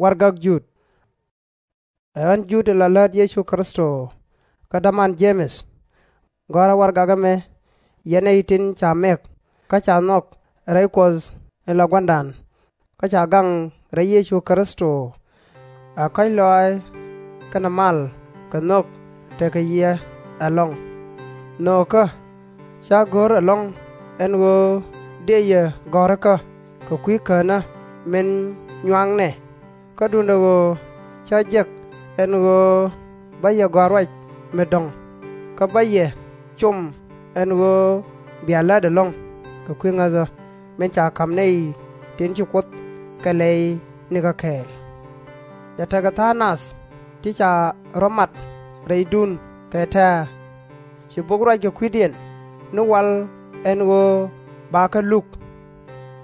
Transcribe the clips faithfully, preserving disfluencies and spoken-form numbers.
Warɛgak Jud. Ɛ ɣän Jud in la läät Yecu Kritho, kä däman Je-mɛth. Gɔ̱a̱rä warɛgak ɛmɛ, yɛn nɛy tin ca mɛk kä ca nhɔk rɛy Kuɔth in la Gua̱a̱ra, kä ca gaŋ rɛy Yecu Kritho. Ɛ kɔ̱a̱c lɔaac kɛnɛ mal kɛ nhök tekɛ yɛ ɛlɔ̱ŋ. Nhöökä, /cä go̱r ɛlɔ̱ŋ ɛn ɣöö dëë yɛ gɔ̱rikä kɛ kui̱ Känä min nyuaknɛ, kä duundɛ ɣöö cä jek ɛn ɣöö bä yɛ gɔ̱a̱r ruac mi dɔ̱ŋ, kä bä yɛ com ɛn ɣöö bia lät ɛlɔ̱ŋ kɛ kui̱ ŋäthä min ca ka̱m nɛy tin ci Kuoth kɛ lɛy nikä kɛɛl. Cɛ tekɛ tha̱a̱ŋ nath ti ca rɔ̱ mat rɛydun kɛ tɛ̱̈ɛ̱̈. Ci bok ruac kɛ kui̱diɛn ni wal ɛn ɣöö bakɛ luk.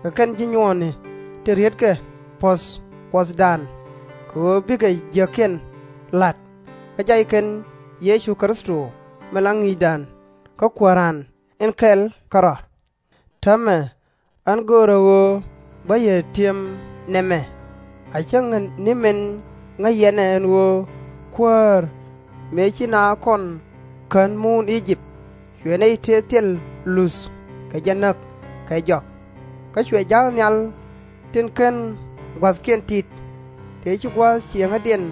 Kɛ kɛn ji̱ nyuɔɔni tin rietkɛ puɔ̱th Kuɔthdan, kɛ ɣöö bikɛ jiäkiɛn la̱t, kä jay kɛn Yecu Kritho min la Ŋi̱i̱cdan kä Kuääran in kɛl kärɔ̱. Täämɛ ɣän göörä ɣöö bä yɛ ti̱em nɛmɛ, a cäŋ ni min ŋäc yɛn ɛ ɛn ɣöö Kuäär, mëë ci naath kɔn kän muun I-jëp, cuɛ nɛy tëë thil luth kɛ jɛ näk kɛ jɔak. Kä cuɛ ja̱a̱k nhial tin /ken gua̱thkiɛn tit, tëë ci gua̱a̱th cieŋädiɛn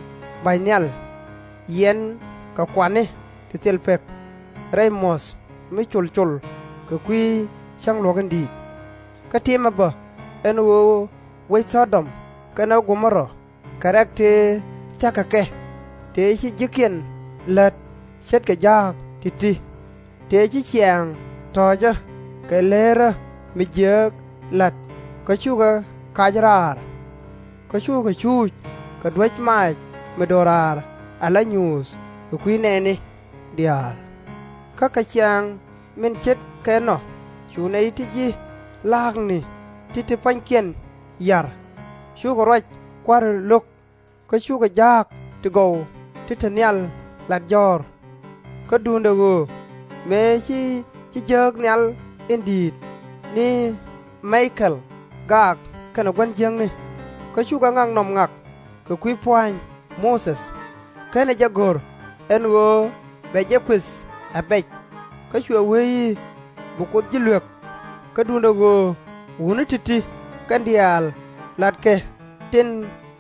ba̱ny nhial, yiɛn kɛ kuani ti thil pek, rɛy muɔ̱th mi col col kɛ kui̱ cäŋ luɔ̱k in di̱i̱t. Kä ti̱mɛ bä ɛn ɣöö wec Thɔ-dɔm kɛnɛ Go-mo-ra kɛ rɛ̈k tëë thia̱k kɛ kɛ, tëë ci ji̱kiɛn lät ce̱tkɛ ja̱a̱k ti̱ti̱, tëë ci ciaŋ tɔ̱ɔ̱cä kɛ leerä mi jiääk la̱t, kä cukɛ kac raar. Kä cukɛ cuuc kɛ duäc maac mi do̱raar ala nyuuth kɛ kui̱ nɛɛni diaal. Kä kɛ ciaŋ min ce̱tkɛ ɛnɔ cu nɛy ti ji̱ la̱a̱kni ti te pua̱nykiɛn ya̱r, cukɛ ruac kua̱ri lo̱k, kä cukɛ ja̱a̱k ti gɔw ti te nhial lat jɔ̱ɔ̱r. Kä duundɛ ɣöö mëë ci ji̱ jääk nhial in di̱i̱t ni Mi-ka-el gaak kɛnɛ gua̱n jiäkni, kä cukɛ ŋaknɔm ŋak kɛ kui̱ pua̱a̱ny Muthɛ, /kenɛ jɛ go̱r ɛn ɣöö bɛ jɛ kuëth a bɛc. Kä cuɛ wee i̱ bi Kuoth ji̱ luek. Kä duundɛ ɣöö wutni ti̱ti̱ kɛn diaal latkɛ tin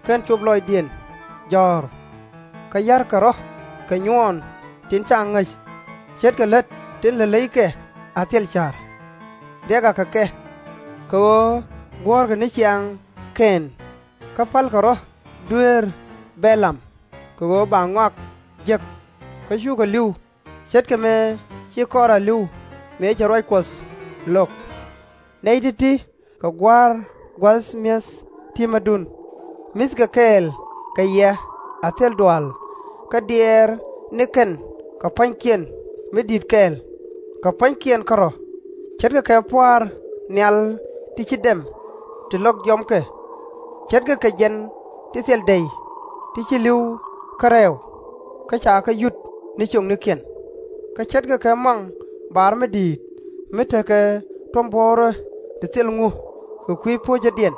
/ken cop lɔcdiɛn jɔ̱ɔ̱r, kä ya̱rkɛ rɔ̱ kɛ nyuɔɔn tin /ca ŋäc, ce̱tkɛ lät tin lät leykɛ a thil ca̱r. Riɛk akɛ kɛ, kɛ ɣöö guɔ̱ɔ̱rkɛ ni ciaŋ Kɛn, kä pälkɛ rɔ̱ dueer Bɛ-lam, kɛ ɣöö ba ŋɔak jek, kä cukɛ li̱w, ce̱tkɛ mëë ci Kɔ-ra li̱w mëë cɛ ruac Kuɔth lo̱k. Nɛy ti̱ti̱ kɛ gua̱a̱r gua̱th mi̱eth ti̱mädun, mi̱thkɛ kɛɛl kɛ yɛ a thil dual, kä diɛɛr ni kɛn kɛ pua̱nykiɛn mi di̱i̱t kɛɛl, kɛ pua̱nykiɛn kärɔ̱, ce̱tkɛ kɛ pua̱a̱r nhial ti /ci dɛm ti lɔk jiɔam kɛ, ce̱tkɛ kɛ jiɛn ti thil dɛy ti /ci li̱w kä rɛɛw, kä ca kɛ yut ni ciöknikiɛn, kä ce̱tkɛ kɛ muaŋ bar mi di̱i̱t mi tekɛ tuɔ̱mbuɔ̱ɔ̱rä ti thil ŋu kɛ kui̱ po̱cädiɛn,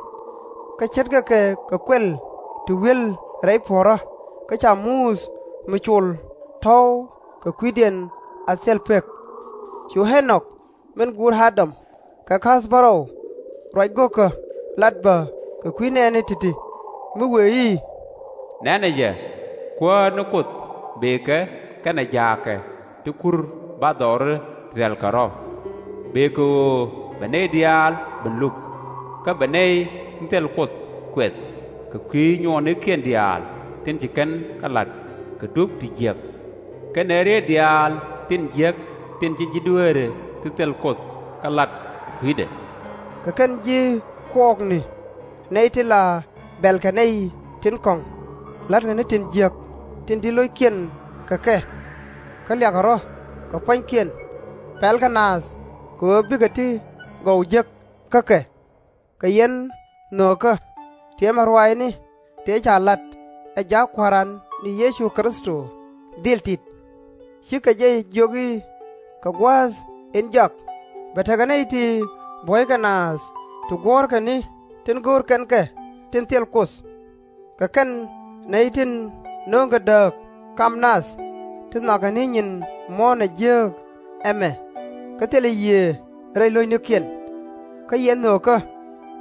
kä ce̱tkɛ kɛ kɛ kuɛl ti wi̱el rɛy puɔ̱ɔ̱rä, kä ca muth mi col tɔ̱w kɛ kui̱diɛn a thil pek. Cu Ä-nɔk min guur A-dam kɛ ka̱a̱th bärɔw ruac go̱o̱kä lat bä kɛ kui̱ nɛɛni ti̱ti̱, mi wëë i̱, Nɛnɛ jɛ, Kuäär ni Kuoth bëëkɛ kɛnɛ ja̱a̱kɛ ti kur bathdɔɔri ti rɛ̈lkɛ rɔ̱. Bëë kɛ ɣöö bɛ nɛy diaal ben luk, kä bɛ nɛy tin thil Kuoth kuɛth kɛ kui̱ nyuɔɔnikiɛn diaal tin ci kɛn kɛ la̱t kɛ dup ti jiäk, kɛnɛ rieet diaal tin jiäk tin ci ji̱ dueeri ti thil Kuoth kɛ la̱t kɛ kui̱dɛ. Kɛ kɛn ji̱ kuɔɔkni, nɛy ti la bɛ̈lkɛ nɛy tin kɔ̱ŋ, la̱tkɛ ni tin jiäk tin di̱t lo̱ckiɛn kɛ kɛ, kä liakɛ rɔ̱ kɛ pua̱nykiɛn, pɛlkɛ naath kɛ ɣöö bikɛ ti gɔw jek kä kɛ. Kɛ yɛn nhöökä, tiɛmɛ ruaacni tëë ca lat ɛ jaak Kua̱ran ni Yecu Kritho dhil tit. /Cikɛ jɛ jiök i̱, Kɛ gua̱a̱th in jɔak bɛ tekɛ nɛy ti buɔ̱ykɛ naath ti guɔ̱ɔ̱rkɛ ni tin go̱o̱r kɛn kɛ tin thil Kuoth. Kɛ kɛn nɛy tin nööŋkɛ dääk kam nath, ti nhɔakɛ ni nyin muɔ̱ɔ̱n ɛ jiääk ɛmɛ, kä thilɛ Yiëë rɛy lo̱cnikiɛn. Kä yɛ nhöökä,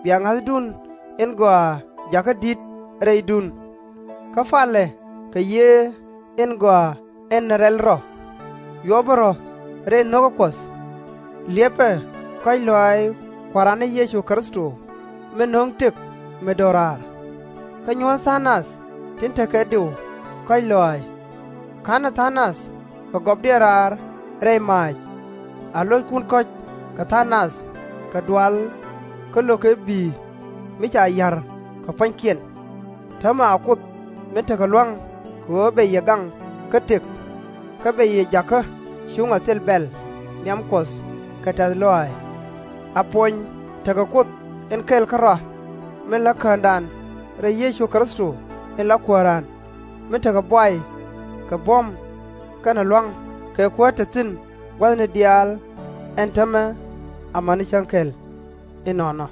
bia ŋa̱thdun in gɔaa jakä di̱t rɛydun. Kä palɛ kɛ Yiëë in Gɔaa in Rɛl Rɔ. Yuɔpɛ rɔ̱ rɛy nho̱kä Kuɔth. Liɛpɛ kɔ̱a̱c lɔaac Kua̱ran ni Yecu Kritho min no̱o̱ŋ tëk mi do̱raar. Kä nyuɔ̱th tha̱a̱ŋ nath tin tekɛ diw kɔ̱a̱c lɔaac. Ka̱nɛ tha̱a̱ŋ nath kɛ gɔpdiɛn raar rɛy maac. A lo̱ckun kɔ̱c kɛ tha̱a̱ŋ nath kɛ dual kä lo̱kɛ bi̱i̱ mi ca ya̱r kɛ pua̱nykiɛn. Täämɛ a Kuoth min tekɛ lua̱ŋ kɛ ɣöö bɛ yɛ gaŋ kä tëk, kä bɛ yɛ jakä cuŋ a thil bɛ̈l nhiam Kuɔth kɛ tɛ̈th lɔaac. A puɔny tekɛ Kuoth in kɛl kärɔa, min la Käändan rɛy Yecu Kritho in la Kuääran, min tekɛ buay kɛ buɔ̱m kɛnɛ lua̱ŋ kɛ kuäär te thi̱n gua̱thni diaal. Ɛn täämɛ amäni cäŋ kɛl. Inɔnɔ.